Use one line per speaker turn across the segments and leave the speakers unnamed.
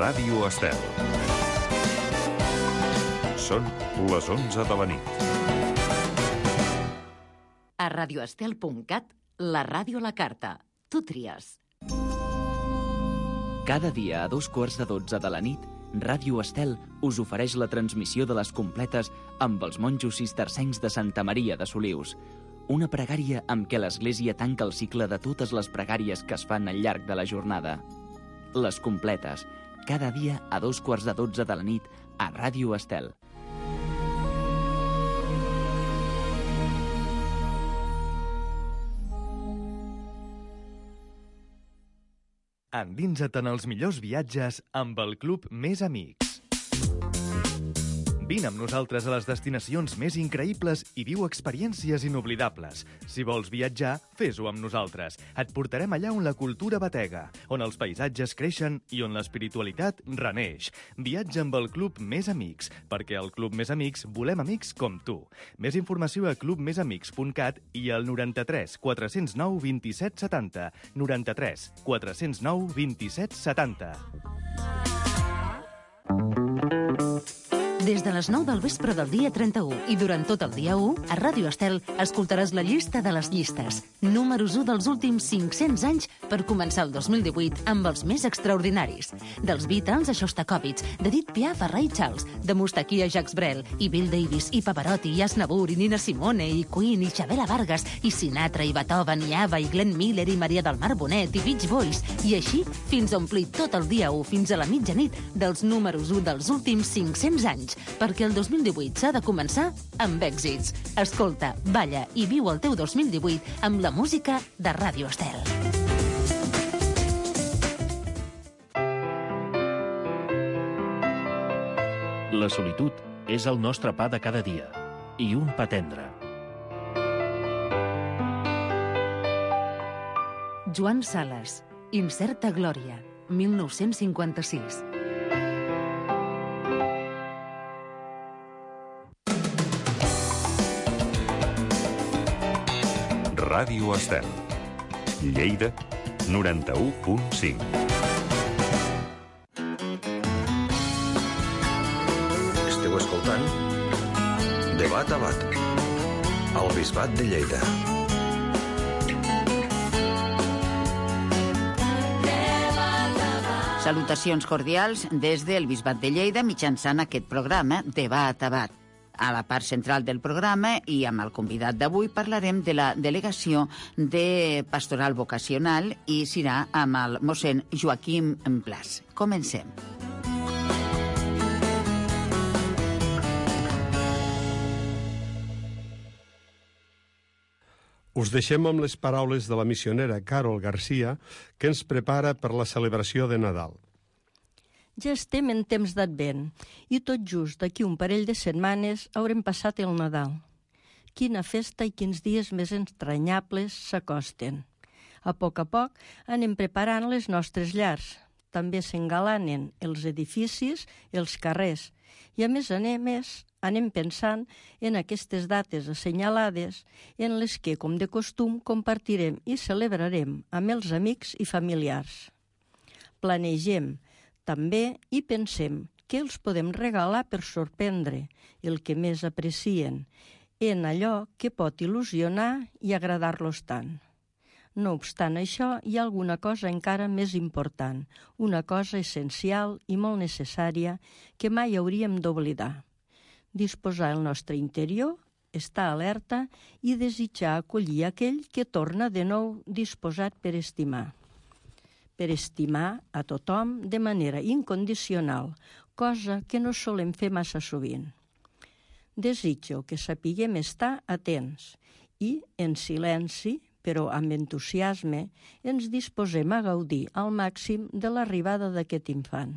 Ràdio Estel. Són les 11 de la nit.
A radioestel.cat, la ràdio a la carta. Tu tries.
Cada dia a 2:45 de la nit, Ràdio Estel us ofereix la transmissió de les completes amb els monjos cistercencs de Santa Maria de Solius. Una pregària amb què l'Església tanca el cicle de totes les pregàries que es fan al llarg de la jornada. Les completes, cada dia a 2:45 de la nit a Ràdio Estel.
Endinsa't en els millors viatges amb el Club Més Amics. Vine amb nosaltres a les destinacions més increïbles i viu experiències inoblidables. Si vols viatjar, fes-ho amb nosaltres. Et portarem allà on la cultura batega, on els paisatges creixen i on l'espiritualitat reneix. Viatja amb el Club Més Amics, perquè al Club Més Amics volem amics com tu. Més informació a clubmesamics.cat i al 93 409 27 70. 93 409 27 70.
Des de les 9 del vespre del dia 31 i durant tot el dia 1, a Ràdio Estel escoltaràs la llista de les llistes. Números 1 dels últims 500 anys per començar el 2018 amb els més extraordinaris. Dels Beatles a Shostakovich, d'Edith Piaf a Ray Charles, de Mustaquí a Jacques Brel, i Bill Davis, i Pavarotti, i Aznavour, i Nina Simone, i Queen, i Chavela Vargas, i Sinatra, i Beethoven, i Ava, i Glenn Miller, i Maria del Mar Bonet, i Beach Boys, i així fins a omplir tot el dia 1 fins a la mitjanit dels números 1 dels últims 500 anys. Perquè el 2018 s'ha de començar amb èxits. Escolta, balla i viu el teu 2018 amb la música de Ràdio Estel.
La solitud és el nostre pa de cada dia, i un pa tendre.
Joan Sales, Incerta Glòria, 1956.
Ràdio Estel. Lleida, 91.5.
Esteu escoltant Debat a Bat, al Bisbat de Lleida.
Salutacions cordials des del Bisbat de Lleida mitjançant aquest programa Debat a Bat. A la part central del programa i amb el convidat d'avui parlarem de la delegació de Pastoral Vocacional i serà amb el mossèn Joaquim Plas. Comencem.
Us deixem amb les paraules de la missionera Carol Garcia, que ens prepara per la celebració de Nadal.
Ja estem en temps d'Advent i tot just d'aquí un parell de setmanes haurem passat el Nadal. Quina festa i quins dies més entranyables s'acosten. A poc anem preparant les nostres llars. També s'engalanen els edificis, els carrers. I a més anem pensant en aquestes dates assenyalades en les que, com de costum, compartirem i celebrarem amb els amics i familiars. Planegem també hi pensem què els podem regalar per sorprendre el que més aprecien en allò que pot il·lusionar i agradar-los tant. No obstant això, hi ha alguna cosa encara més important, una cosa essencial i molt necessària que mai hauríem d'oblidar. Disposar el nostre interior, estar alerta i desitjar acollir aquell que torna de nou disposat per estimar. Per estimar a tothom de manera incondicional, cosa que no solem fer massa sovint. Desitjo que sapiguem estar atents i, en silenci, però amb entusiasme, ens disposem a gaudir al màxim de l'arribada d'aquest infant.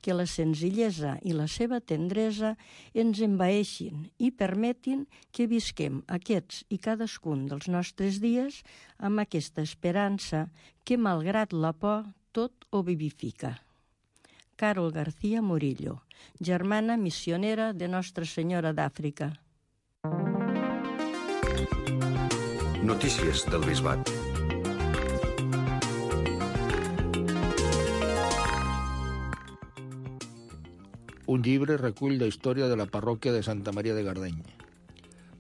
Que la senzillesa i la seva tendresa ens envaeixin i permetin que visquem aquests i cadascun dels nostres dies amb aquesta esperança que, malgrat la por, tot ho vivifica. Carol García Murillo, germana missionera de Nostra Senyora d'Àfrica.
Notícies del Bisbat.
Un llibre recull la història de la parròquia de Santa Maria de Gardeny.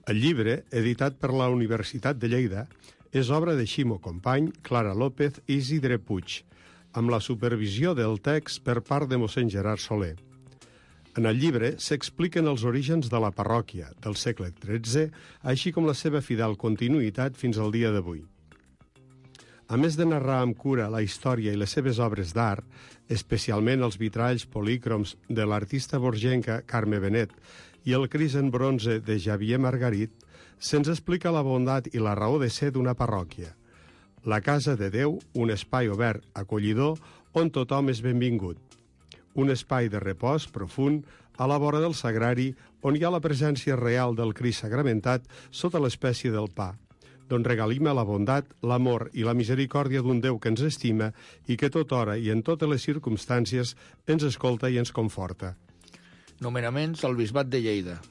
El llibre, editat per la Universitat de Lleida, és obra de Ximo Company, Clara López i Isidre Puig, amb la supervisió del text per part de mossèn Gerard Soler. En el llibre s'expliquen els orígens de la parròquia del segle XIII, així com la seva fidel continuïtat fins al dia d'avui. A més de narrar amb cura la història i les seves obres d'art, especialment els vitralls polícroms de l'artista borgenca Carme Benet i el Cris en bronze de Xavier Margarit, se'ns explica la bondat i la raó de ser d'una parròquia. La Casa de Déu, un espai obert, acollidor, on tothom és benvingut. Un espai de repòs profund a la vora del sagrari, on hi ha la presència real del Crist sagramentat sota l'espècie del pa, d'on regalima la bondat, l'amor i la misericòrdia d'un Déu que ens estima i que tot hora i en totes les circumstàncies ens escolta i ens conforta.
Nomenaments al Bisbat de Lleida.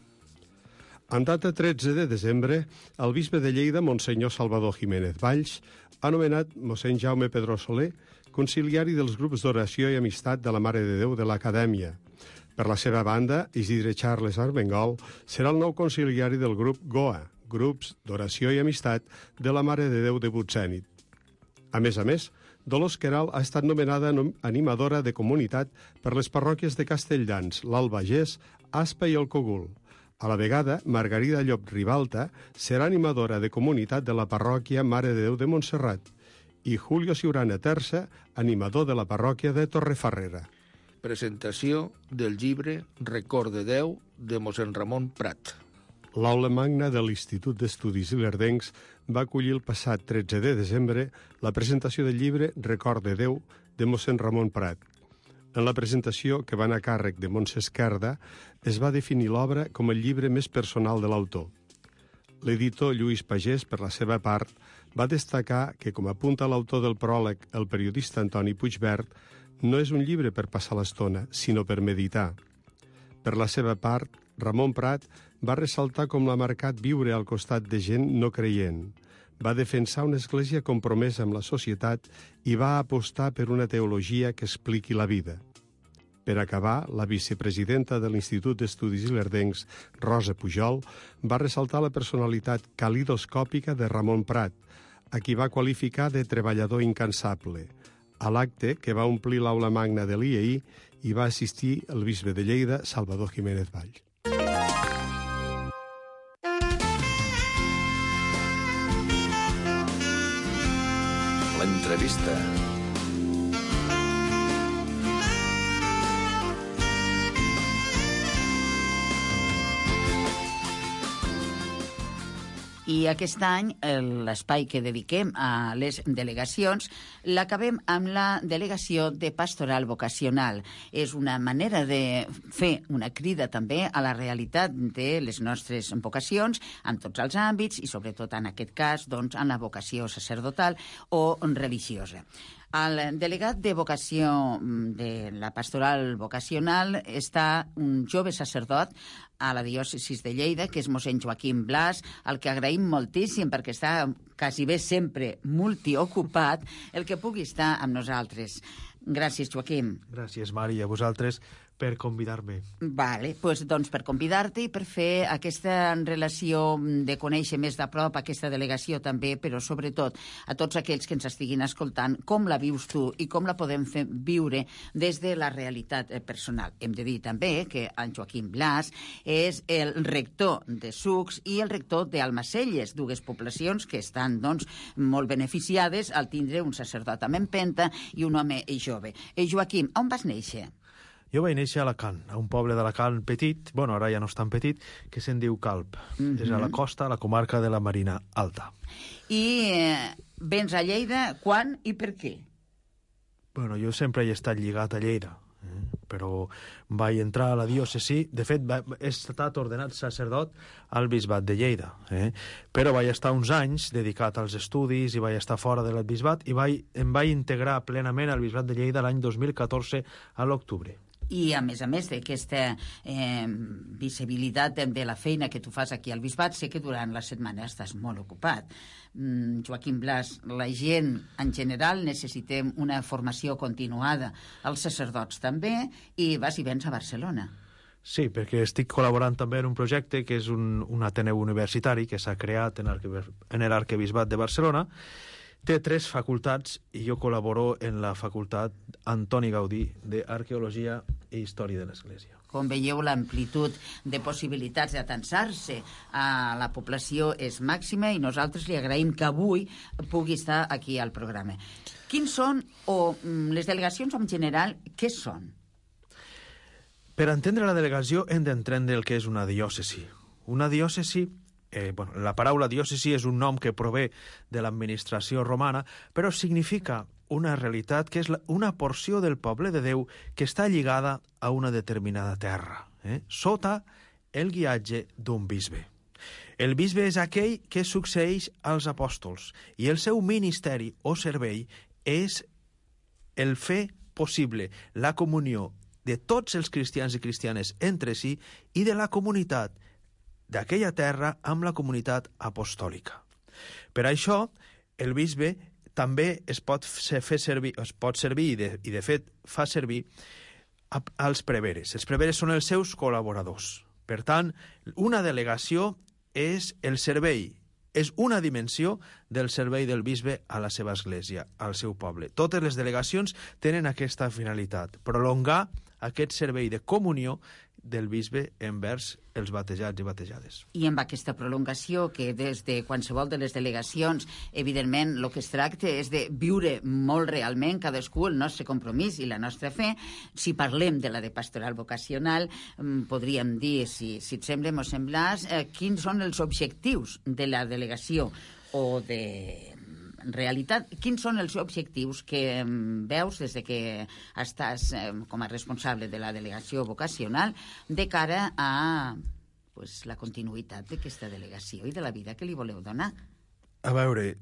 En data 13 de desembre, el bisbe de Lleida, Monsenyor Salvador Jiménez Valls, ha nomenat mossèn Jaume Pedró Soler conciliari dels grups d'oració i amistat de la Mare de Déu de l'Acadèmia. Per la seva banda, Isidre Charles Armengol serà el nou conciliari del grup GOA, Grups d'Oració i Amistat de la Mare de Déu de Butzènit. A més, Dolors Queralt ha estat nomenada animadora de comunitat per les parròquies de Castelldans, l'Albagés, Aspa i el Cogul. A la vegada, Margarida Llop Ribalta serà animadora de comunitat de la parròquia Mare de Déu de Montserrat i Julio Ciurana Terça, animador de la parròquia de Torrefarrera.
Presentació del llibre Record de Déu de mossèn Ramon Prat.
L'aula magna de l'Institut d'Estudis Ilerdencs va acollir el passat 13 de desembre la presentació del llibre Record de Déu de mossèn Ramon Prat. En la presentació, que va anar a càrrec de Montse Esquerda, es va definir l'obra com el llibre més personal de l'autor. L'editor Lluís Pagès, per la seva part, va destacar que, com apunta l'autor del pròleg, el periodista Antoni Puigvert, no és un llibre per passar l'estona, sinó per meditar. Per la seva part, Ramon Prat va ressaltar com l'ha marcat viure al costat de gent no creient. Va defensar una església compromesa amb la societat i va apostar per una teologia que expliqui la vida. Per acabar, la vicepresidenta de l'Institut d'Estudis Ilerdencs, Rosa Pujol, va ressaltar la personalitat calidoscòpica de Ramon Prat, a qui va qualificar de treballador incansable. A l'acte, que va omplir l'aula magna de l'IEI, hi va assistir el bisbe de Lleida, Salvador Jiménez Valls.
L'entrevista.
I aquest any l'espai que dediquem a les delegacions l'acabem amb la delegació de pastoral vocacional. És una manera de fer una crida també a la realitat de les nostres vocacions en tots els àmbits i sobretot en aquest cas doncs, en la vocació sacerdotal o religiosa. El delegat de vocació de la pastoral vocacional està un jove sacerdot a la diòcesi de Lleida, que és mossèn Joaquim Blas, al que agraïm moltíssim perquè està quasi bé sempre multiocupat, el que pugui estar amb nosaltres. Gràcies, Joaquim.
Gràcies, Mari, a vosaltres per convidar-me.
Vale, doncs per convidar-te i per fer aquesta relació de conèixer més de prop aquesta delegació també, però sobretot a tots aquells que ens estiguin escoltant, com la vius tu i com la podem fer viure des de la realitat personal. Hem de dir també que en Joaquim Blas és el rector de Sucs i el rector d'Almacelles, dues poblacions que estan doncs, molt beneficiades al tindre un sacerdot amb empenta i un home jove. Joaquim, on vas néixer?
Jo vaig néixer a Alacant, a un poble d'Alacant petit, bueno, ara ja no és tan petit, que se'n diu Calp. És a la costa, a la comarca de la Marina Alta.
I vens a Lleida quan i per què?
Bueno, jo sempre he estat lligat a Lleida, però vaig entrar a la diòcesi. De fet, he estat ordenat sacerdot al bisbat de Lleida, però vaig estar uns anys dedicat als estudis i vaig estar fora del bisbat i em vaig integrar plenament al bisbat de Lleida l'any 2014 a l'octubre.
I, a més d'aquesta visibilitat de la feina que tu fas aquí al bisbat, sé que durant la setmana estàs molt ocupat. Joaquim Blas, la gent en general necessitem una formació continuada, els sacerdots també, i vas i vens a Barcelona.
Sí, perquè estic col·laborant també en un projecte que és un Ateneu universitari que s'ha creat en l'Arquebisbat de Barcelona. Té 3 facultats i jo col·laboro en la facultat Antoni Gaudí d'Arqueologia i Història de l'Església.
Com veieu, l'amplitud de possibilitats d'atansar-se a la població és màxima i nosaltres li agraïm que avui pugui estar aquí al programa. Quins són, o les delegacions en general, què són?
Per entendre la delegació hem d'entendre el que és una diòcesi. Una diòcesi, la paraula diòcesi és un nom que prové de l'administració romana, però significa una realitat que és una porció del poble de Déu que està lligada a una determinada terra, sota el guiatge d'un bisbe. El bisbe és aquell que succeeix als apòstols i el seu ministeri o servei és el fer possible la comunió de tots els cristians i cristianes entre si i de la comunitat d'aquella terra amb la comunitat apostòlica. Per això, el bisbe també es pot servir i de fet fa servir als preveres. Els preveres són els seus col·laboradors. Per tant, una delegació és el servei, és una dimensió del servei del bisbe a la seva església, al seu poble. Totes les delegacions tenen aquesta finalitat, prolongar aquest servei de comunió del bisbe envers els batejats i batejades.
I amb aquesta prolongació, que des de qualsevol de les delegacions, evidentment, el que es tracta és de viure molt realment cadascú el nostre compromís i la nostra fe. Si parlem de la de pastoral vocacional, podríem dir, si et sembla, mos semblàs, quins són els objectius de la delegació o de... En realitat, quins són els objectius que veus des de que estàs com a responsable de la delegació vocacional de cara a la continuïtat d'aquesta delegació i de la vida que li voleu donar?
A veure,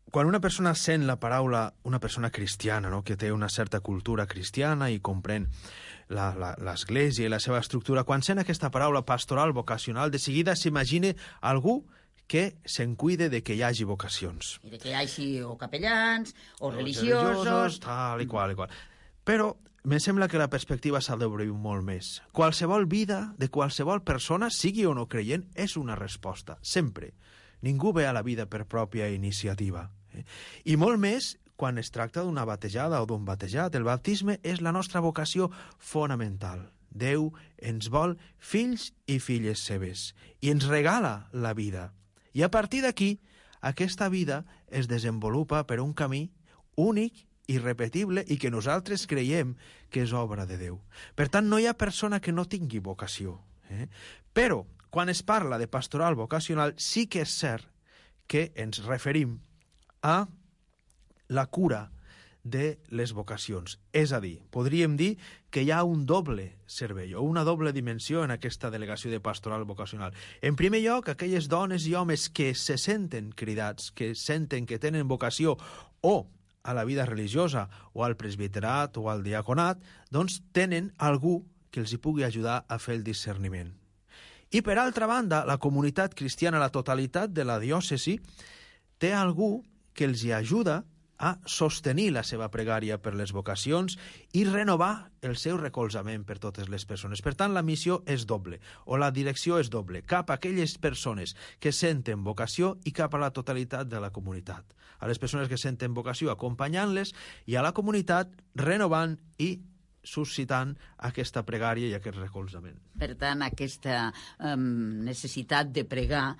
quan una persona sent la paraula, una persona cristiana, no?, que té una certa cultura cristiana i comprèn l'Església i la seva estructura, quan sent aquesta paraula pastoral vocacional, de seguida s'imagina algú que se'n cuide de que hi hagi vocacions.
I de que hi hagi o capellans, o religiosos...
Tal i qual, i qual. Però me sembla que la perspectiva s'ha d'obrir molt més. Qualsevol vida de qualsevol persona, sigui o no creient, és una resposta, sempre. Ningú ve a la vida per pròpia iniciativa. I molt més quan es tracta d'una batejada o d'un batejat. El baptisme és la nostra vocació fonamental. Déu ens vol fills i filles seves i ens regala la vida. I a partir d'aquí, aquesta vida es desenvolupa per un camí únic, irrepetible i que nosaltres creiem que és obra de Déu. Per tant, no hi ha persona que no tingui vocació. Però, quan es parla de pastoral vocacional, sí que és cert que ens referim a la cura de les vocacions. És a dir, podríem dir que hi ha un doble servei o una doble dimensió en aquesta delegació de pastoral vocacional. En primer lloc, aquelles dones i homes que se senten cridats, que senten que tenen vocació o a la vida religiosa o al presbiterat o al diaconat, doncs tenen algú que els hi pugui ajudar a fer el discerniment. I per altra banda, la comunitat cristiana, la totalitat de la diòcesi, té algú que els hi ajuda a sostenir la seva pregària per les vocacions i renovar el seu recolzament per totes les persones. Per tant, la missió és doble, o la direcció és doble, cap a aquelles persones que senten vocació i cap a la totalitat de la comunitat. A les persones que senten vocació acompanyant-les i a la comunitat renovant i suscitant aquesta pregària i aquest recolzament.
Per tant, aquesta necessitat de pregar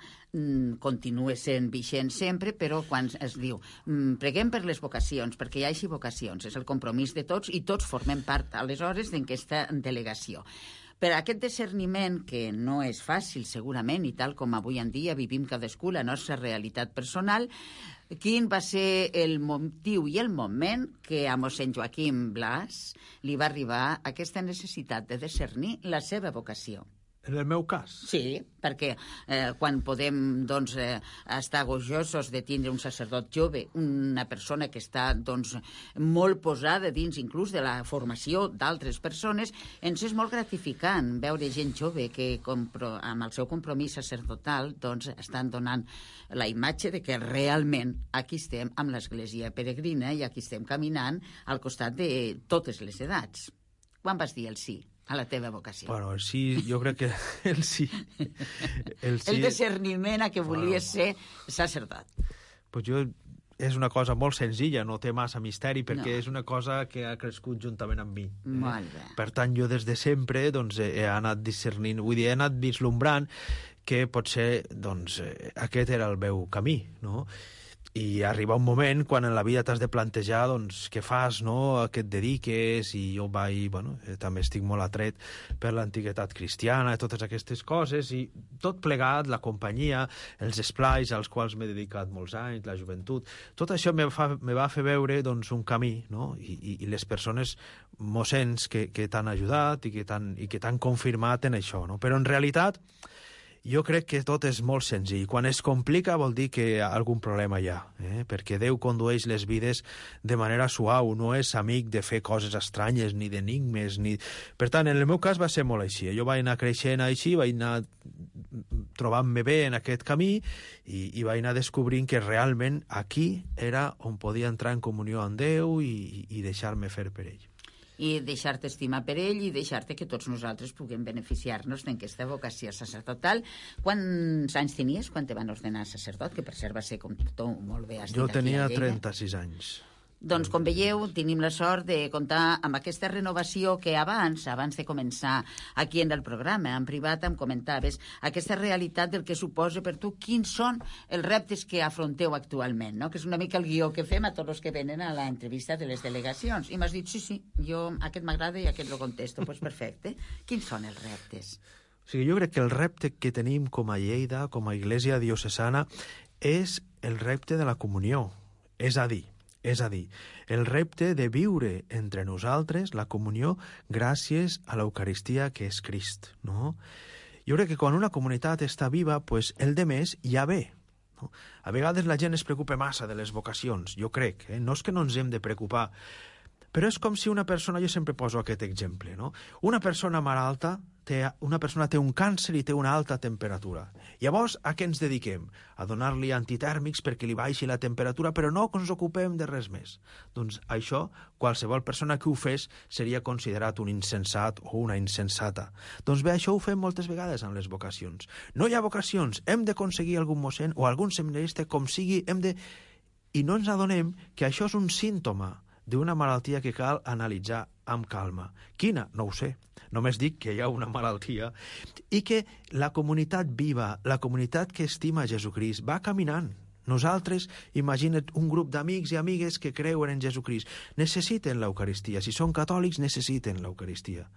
continua sent vigent sempre, però quan es diu preguem per les vocacions, perquè hi hagi vocacions, és el compromís de tots i tots formem part aleshores d'aquesta delegació. Per aquest discerniment, que no és fàcil segurament, i tal com avui en dia vivim cadascú la nostra realitat personal, quin va ser el motiu i el moment que a mossèn Joaquim Blas li va arribar aquesta necessitat de discernir la seva vocació?
En el meu cas?
Sí, perquè quan podem estar gojosos de tindre un sacerdot jove, una persona que està molt posada dins inclús de la formació d'altres persones, ens és molt gratificant veure gent jove que amb el seu compromís sacerdotal estan donant la imatge de que realment aquí estem amb l'Església Peregrina i aquí estem caminant al costat de totes les edats. Quan vas dir el sí? a la teva vocació?
Bueno, el sí, jo crec que el sí...
El discerniment a què volies ser sacerdot.
Pues jo... És una cosa molt senzilla, no té massa misteri, perquè
No.
és una cosa que ha crescut juntament amb mi.
Molt bé.
Per tant, jo des de sempre doncs, he anat discernint, vull dir, he anat vislumbrant que potser doncs, aquest era el meu camí, no? I arriba un moment quan en la vida t'has de plantejar doncs, què fas, no? A què et dediques, i jo també estic molt atret per l'antiguitat cristiana i totes aquestes coses, i tot plegat, la companyia, els esplais als quals m'he dedicat molts anys, la joventut, tot això me va fer veure doncs, un camí, no? I les persones mossens que t'han ajudat i que t'han confirmat en això, no? Però en realitat jo crec que tot és molt senzill. Quan es complica vol dir que algun problema hi ha, perquè Déu condueix les vides de manera suau, no és amic de fer coses estranyes, ni d'enigmes, ni... Per tant, en el meu cas va ser molt així. Jo vaig anar creixent així, vaig anar trobant-me bé en aquest camí i vaig anar descobrint que realment aquí era on podia entrar en comunió amb Déu i deixar-me fer per ell.
I deixar-te estimar per ell i deixar-te que tots nosaltres puguem beneficiar-nos d'aquesta vocació sacerdotal. Quants anys tenies quan te van ordenar sacerdot? Que per cert va ser, com tu molt bé has dit,
Jo
aquí
tenia
a Lleida.
36 anys.
Doncs, com veieu, tenim la sort de comptar amb aquesta renovació que abans de començar aquí en el programa, en privat, em comentaves aquesta realitat del que suposa per tu quins són els reptes que afronteu actualment, no? Que és una mica el guió que fem a tots els que venen a l'entrevista de les delegacions. I m'has dit, sí, jo aquest m'agrada i aquest lo contesto. Doncs perfecte. Quins són els reptes?
O sigui, jo crec que el repte que tenim com a Lleida, com a Iglesia diocesana, és el repte de la comunió. És a dir, el repte de viure entre nosaltres la comunió gràcies a l'Eucaristia que és Crist, no? Jo crec que quan una comunitat està viva, pues, el de més ja ve. No? A vegades la gent es preocupa massa de les vocacions, jo crec, no és que no ens hem de preocupar, però és com si una persona, jo sempre poso aquest exemple, no? Una persona malalta, una persona té un càncer i té una alta temperatura. Llavors, a què ens dediquem? A donar-li antitèrmics perquè li baixi la temperatura, però no ens ocupem de res més. Doncs això, qualsevol persona que ho fes seria considerat un insensat o una insensata. Doncs bé, això ho fem moltes vegades amb les vocacions. No hi ha vocacions, hem d'aconseguir algun mossèn o algun seminarista, com sigui, i no ens adonem que això és un símptoma d'una malaltia que cal analitzar amb calma. Quina? No ho sé. Només dic que hi ha una malaltia i que la comunitat viva, la comunitat que estima Jesucrist, va caminant. Nosaltres, imagina't un grup d'amics i amigues que creuen en Jesucrist. Necessiten l'Eucaristia. Si són catòlics, necessiten l'Eucaristia.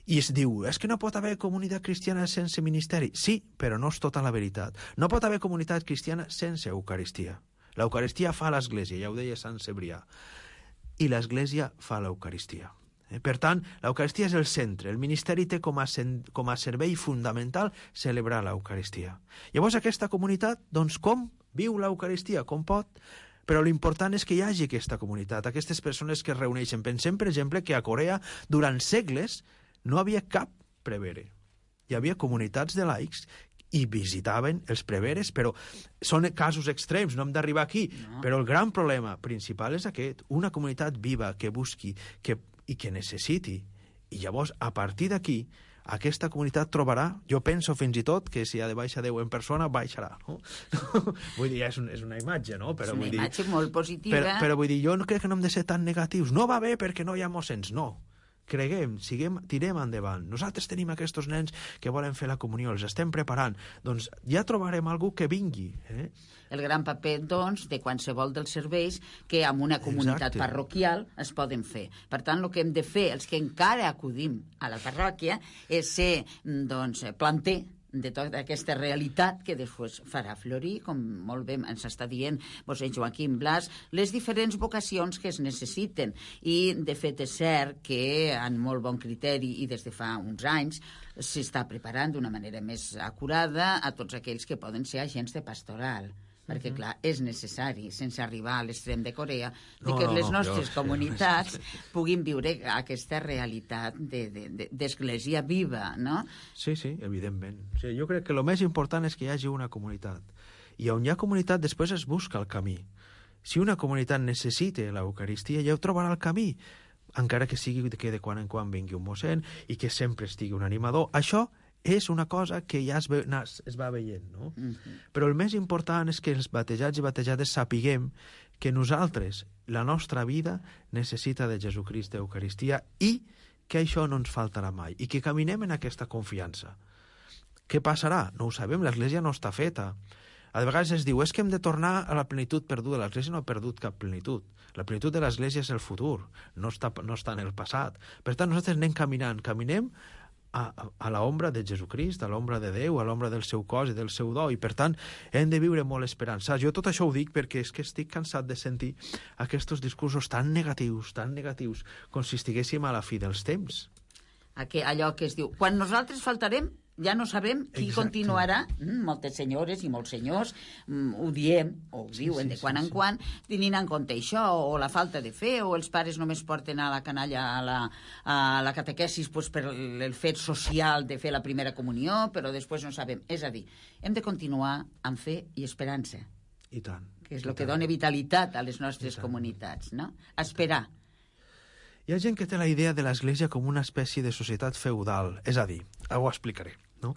I es diu, és que no pot haver comunitat cristiana sense ministeri. Sí, però no és tota la veritat. No pot haver comunitat cristiana sense Eucaristia. L'Eucaristia fa l'Església, ja ho deia Sant Cebrià. I l'Església fa l'Eucaristia. Per tant, l'Eucaristia és el centre. El ministeri té com a servei fundamental celebrar l'Eucaristia. Llavors, aquesta comunitat, doncs, com viu l'Eucaristia? Com pot? Però l'important és que hi hagi aquesta comunitat, aquestes persones que es reuneixen. Pensem, per exemple, que a Corea, durant segles, no havia cap prevere. Hi havia comunitats de laics i visitaven els preveres, però són casos extrems, no hem d'arribar aquí. No. Però el gran problema principal és aquest, una comunitat viva que busqui i que necessiti. I llavors, a partir d'aquí, aquesta comunitat trobarà, jo penso fins i tot que si ha de baixar Déu en persona, baixarà. No? Vull dir, és una imatge, no? Però
és una imatge
dir,
molt positiva.
Però vull dir, jo no crec que no hem de ser tan negatius. No va bé perquè no hi ha mossens, no. Creguem, tirem endavant. Nosaltres tenim aquests nens que volen fer la comunió, els estem preparant. Doncs ja trobarem algú que vingui.
El gran paper, doncs, de qualsevol dels serveis que en una comunitat parroquial es poden fer. Per tant, el que hem de fer, els que encara acudim a la parròquia, és ser, doncs, planter de tota aquesta realitat que després farà florir, com molt bé ens està dient Joaquim Blas, les diferents vocacions que es necessiten. I, de fet, és cert que, en molt bon criteri i des de fa uns anys, s'està preparant d'una manera més acurada a tots aquells que poden ser agents de pastoral. Perquè, clar, és necessari, sense arribar a l'extrem de Corea, que les nostres comunitats puguin viure aquesta realitat d'església viva, no?
Sí, evidentment. Sí, jo crec que el més important és que hi hagi una comunitat. I on hi ha comunitat, després es busca el camí. Si una comunitat necessita l'Eucaristia, ja ho trobarà el camí. encara que sigui que de quan en quan vingui un mossèn i que sempre estigui un animador. Això és una cosa que ja es va veient, no? Però el més important és que els batejats i batejades sapiguem que nosaltres, la nostra vida, necessita de Jesucrist d'Eucaristia i que això no ens faltarà mai i que caminem en aquesta confiança. Què passarà? No ho sabem, l'Església no està feta. A vegades es diu, és que hem de tornar a la plenitud perduda. L'Església no ha perdut cap plenitud. La plenitud de l'Església és el futur, no està en el passat. Per tant, nosaltres anem caminant, caminem a l'ombra de Jesucrist, a l'ombra de Déu, a l'ombra del seu cos i del seu do, i per tant hem de viure molt esperançats. Jo tot això ho dic perquè és que estic cansat de sentir aquests discursos tan negatius, com si estiguéssim a la fi dels temps.
Allò que es diu, quan nosaltres faltarem, ja no sabem qui continuarà. Moltes senyores i molts senyors ho diem, o ho diuen de quan en quan, tenint en compte això, o la falta de fe, o els pares només porten a la canalla a la catequesis per el fet social de fer la primera comunió, però després no sabem. És a dir, hem de continuar amb fe i esperança.
I tant.
Que és el que dona vitalitat a les nostres comunitats, no? Esperar.
Hi ha gent que té la idea de l'Església com una espècie de societat feudal, és a dir, ho explicaré, no?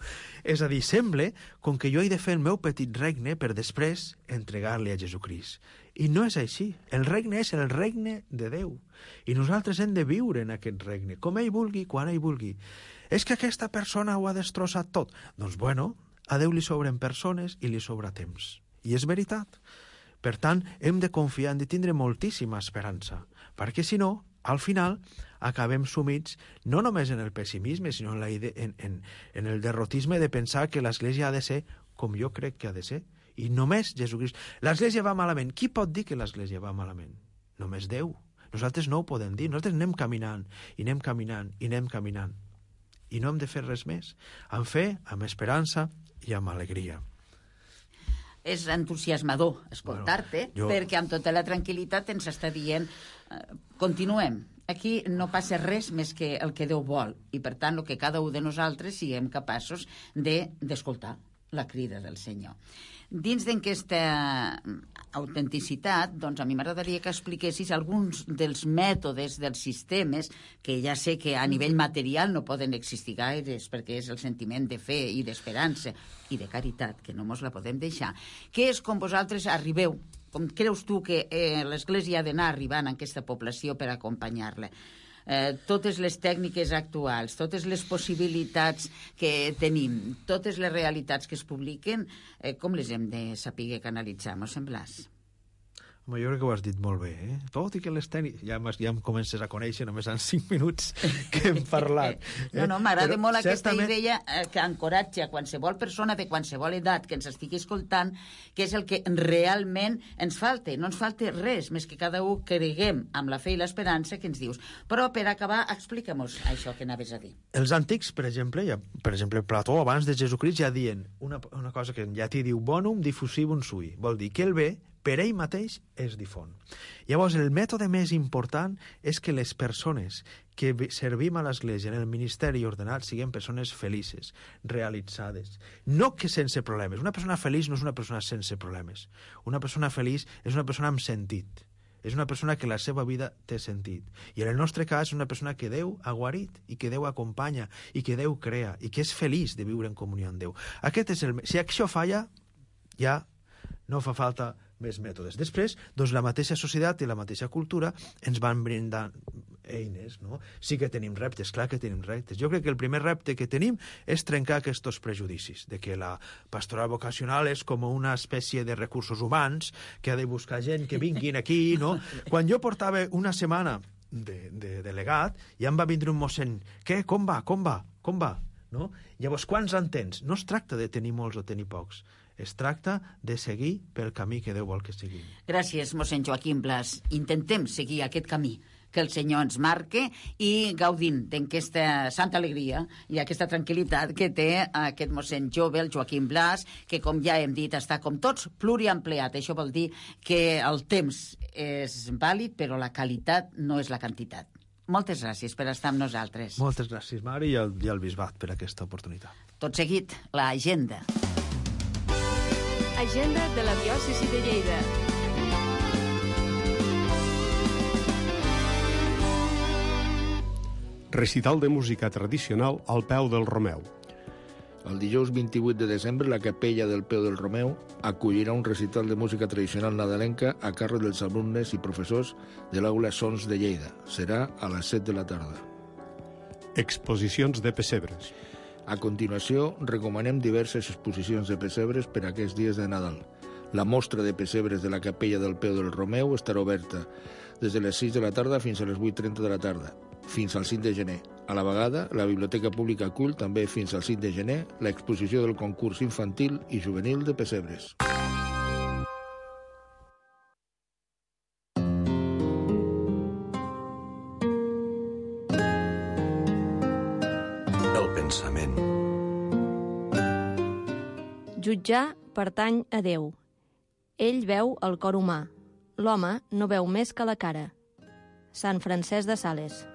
És a dir, sembla com que jo he de fer el meu petit regne per després entregar-li a Jesucrist. I no és així. El regne és el regne de Déu. I nosaltres hem de viure en aquest regne, com ell vulgui, quan ell vulgui. És que aquesta persona ho ha destrossat tot. Doncs bueno, a Déu li sobren persones i li sobra temps. I és veritat. Per tant, hem de confiar, hem de tindre moltíssima esperança, perquè si no, al final acabem sumits no només en el pessimisme, sinó en el derrotisme de pensar que l'Església ha de ser com jo crec que ha de ser. I només Jesucrist. L'Església va malament. Qui pot dir que l'Església va malament? Només Déu. Nosaltres no ho podem dir. Nosaltres anem caminant, i anem caminant, i anem caminant. I no hem de fer res més. Amb fe, amb esperança i amb alegria.
És entusiasmador escoltar-te, perquè amb tota la tranquil·litat ens està dient continuem. Aquí no passa res més que el que Déu vol, i per tant el que cada un de nosaltres siguem capaços d'escoltar la crida del Senyor. Dins d'aquesta autenticitat, doncs a mi m'agradaria que expliquessis alguns dels mètodes, dels sistemes, que ja sé que a nivell material no poden existir gaires, perquè és el sentiment de fe i d'esperança i de caritat, que no mos la podem deixar. Què és com vosaltres arribeu? Com creus tu que l'Església ha d'anar arribant a aquesta població per acompanyar-la? Totes les tècniques actuals, totes les possibilitats que tenim, totes les realitats que es publiquen, com les hem de saber canalitzar, m'ho semblàs?
Home, jo crec que ho has dit molt bé, eh? Tot i que les tècniques... Ja em comences a conèixer només en 5 minuts que hem parlat.
No, m'agrada molt aquesta idea que encoratja a qualsevol persona de qualsevol edat que ens estigui escoltant, que és el que realment ens falta. No ens falta res, més que cada un creguem amb la fe i l'esperança que ens dius. Però per acabar, explica-mos això que anaves a dir.
Els antics, per exemple, Plató, abans de Jesucrist, ja diuen una cosa que en llatí diu bonum diffusivum sui. Vol dir que el bé per ell mateix es difon. Llavors, el mètode més important és que les persones que servim a l'Església en el ministeri ordenat siguem persones felices, realitzades. No que sense problemes. Una persona feliç no és una persona sense problemes. Una persona feliç és una persona amb sentit. És una persona que la seva vida té sentit. I en el nostre cas és una persona que Déu ha guarit i que Déu acompanya i que Déu crea i que és feliç de viure en comunió amb Déu. Si això falla, ja no fa falta més mètodes. Després, doncs, la mateixa societat i la mateixa cultura ens van brindar eines, no? Sí que tenim reptes, clar que tenim reptes. Jo crec que el primer repte que tenim és trencar aquests prejudicis, de que la pastoral vocacional és com una espècie de recursos humans que ha de buscar gent que vinguin aquí, no? Quan jo portava una setmana de delegat, ja em va vindre un mossèn. Què? Com va? No? Llavors, quants en tens? No es tracta de tenir molts o tenir pocs. Es tracta de seguir pel camí que Déu vol que seguim.
Gràcies, mossèn Joaquim Blas. Intentem seguir aquest camí que el Senyor ens marque i gaudint d'aquesta santa alegria i aquesta tranquil·litat que té aquest mossèn jove, el Joaquim Blas, que, com ja hem dit, està com tots pluriempleat. Això vol dir que el temps és vàlid, però la qualitat no és la quantitat. Moltes gràcies per estar amb nosaltres.
Moltes gràcies, Mari, i al Bisbat per aquesta oportunitat.
Tot seguit, l'agenda.
Agenda de la diòcesi de Lleida.
recital de música tradicional al peu del Romeu.
El dijous 28 de desembre, la Capella del Peu del Romeu acollirà un recital de música tradicional nadalenca a càrrec dels alumnes i professors de l'Aula Sons de Lleida. Serà a les 7 de la tarda.
Exposicions de pessebres.
A continuació, recomanem diverses exposicions de pessebres per a aquests dies de Nadal. La mostra de pessebres de la Capella del Peu del Romeu estarà oberta des de les 6 de la tarda fins a les 8:30 de la tarda, fins al 5 de gener. A la vegada, la Biblioteca Pública acull també fins al 5 de gener l'exposició del concurs infantil i juvenil de pessebres.
El pensament.
Jutjar pertany a Déu. Ell veu el cor humà. L'home no veu més que la cara. Sant Francesc de Sales.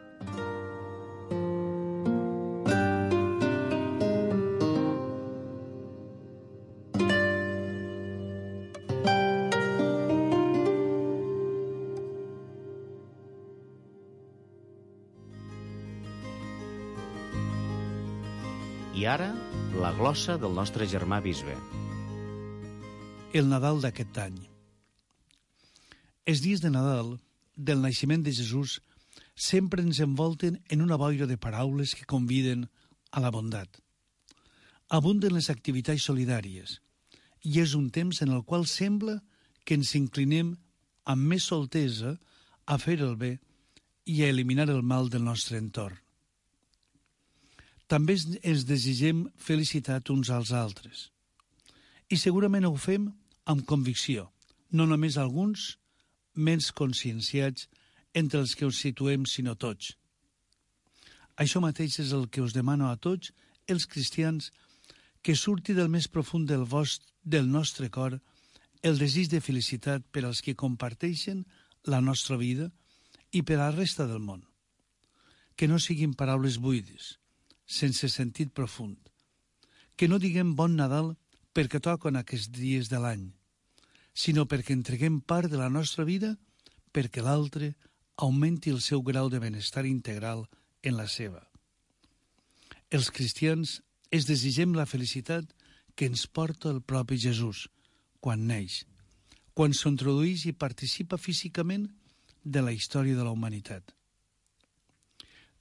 I ara, la glossa del nostre germà bisbe.
El Nadal d'aquest any. Els dies de Nadal, del naixement de Jesús, sempre ens envolten en una boira de paraules que conviden a la bondat. Abunden les activitats solidàries, i és un temps en el qual sembla que ens inclinem amb més soltesa a fer el bé i a eliminar el mal del nostre entorn. També ens desitgem felicitat uns als altres. I segurament ho fem amb convicció, no només alguns, menys conscienciats entre els que us situem, sinó tots. Això mateix és el que us demano a tots, els cristians, que surti del més profund del nostre cor el desig de felicitat per als que comparteixen la nostra vida i per a la resta del món. Que no siguin paraules buides, sense sentit profund. Que no diguem bon Nadal perquè toquen aquests dies de l'any, sinó perquè entreguem part de la nostra vida perquè l'altre augmenti el seu grau de benestar integral en la seva. Els cristians es desitgem la felicitat que ens porta el propi Jesús quan neix, quan s'introdueix i participa físicament de la història de la humanitat.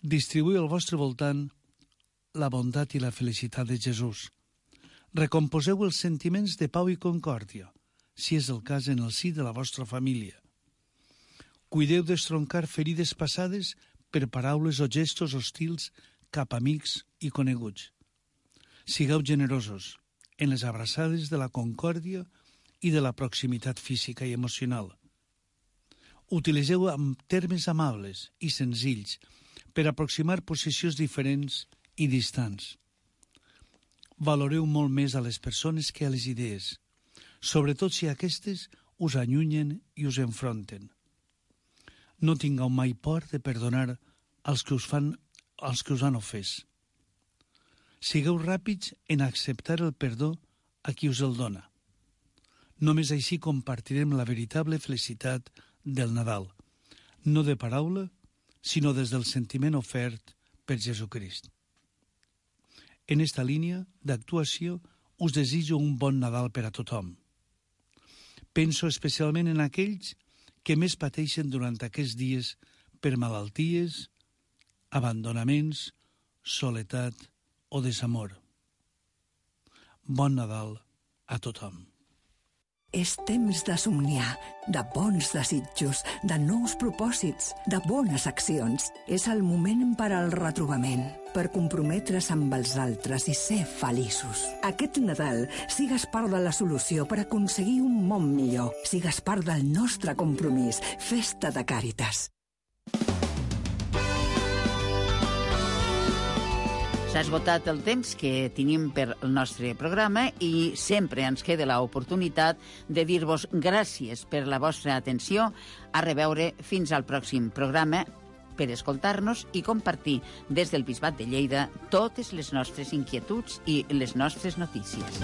Distribuïu al vostre voltant la bondat i la felicitat de Jesús. Recomposeu els sentiments de pau i concòrdia, si és el cas en el si de la vostra família. Cuideu d'estroncar ferides passades per paraules o gestos hostils cap a amics i coneguts. Sigueu generosos en les abraçades de la concòrdia i de la proximitat física i emocional. Utilitzeu amb termes amables i senzills per aproximar posicions diferents i distants. Valoreu molt més a les persones que a les idees, sobretot si aquestes us allunyen i us enfronten. No tingueu mai por de perdonar als que us han ofès. Sigueu ràpids en acceptar el perdó a qui us el dona. Només així compartirem la veritable felicitat del Nadal, no de paraula, sinó des del sentiment ofert per Jesucrist. En esta línia d'actuació us desitjo un bon Nadal per a tothom. Penso especialment en aquells que més pateixen durant aquests dies per malalties, abandonaments, soledat o desamor. Bon Nadal a tothom.
És temps de somniar, de bons desitjos, de nous propòsits, de bones accions. És el moment per al retrobament, per comprometre's amb els altres i ser feliços. Aquest Nadal sigues part de la solució per aconseguir un món millor. Sigues part del nostre compromís. Festa de Càritas.
S'ha esgotat el temps que tenim per el nostre programa i sempre ens queda l'oportunitat de dir-vos gràcies per la vostra atenció. A reveure fins al pròxim programa per escoltar-nos i compartir des del Bisbat de Lleida totes les nostres inquietuds i les nostres notícies.